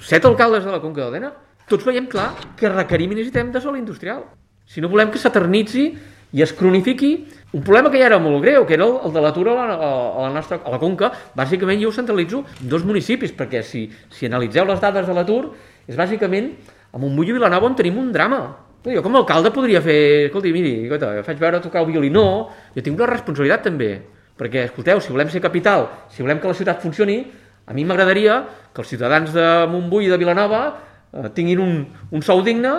7 alcaldes de la Conca d'Òdena, tots veiem clar que requerim i necessitem de sòl industrial. Si no volem que s'eternitzi i es cronifiqui un problema que ja era molt greu, que era el de l'atur a la Conca. Bàsicament jo ho centralitzo en 2 municipis, perquè si analitzeu les dades de l'atur, és bàsicament a Montbui i Vilanova on tenim un drama. Jo com a alcalde podria fer, escolti, miri, faig veure tocar el violí. No, jo tinc una responsabilitat també, perquè, escolteu, si volem ser capital, si volem que la ciutat funcioni, a mi m'agradaria que els ciutadans de Montbui i de Vilanova tinguin un sou digne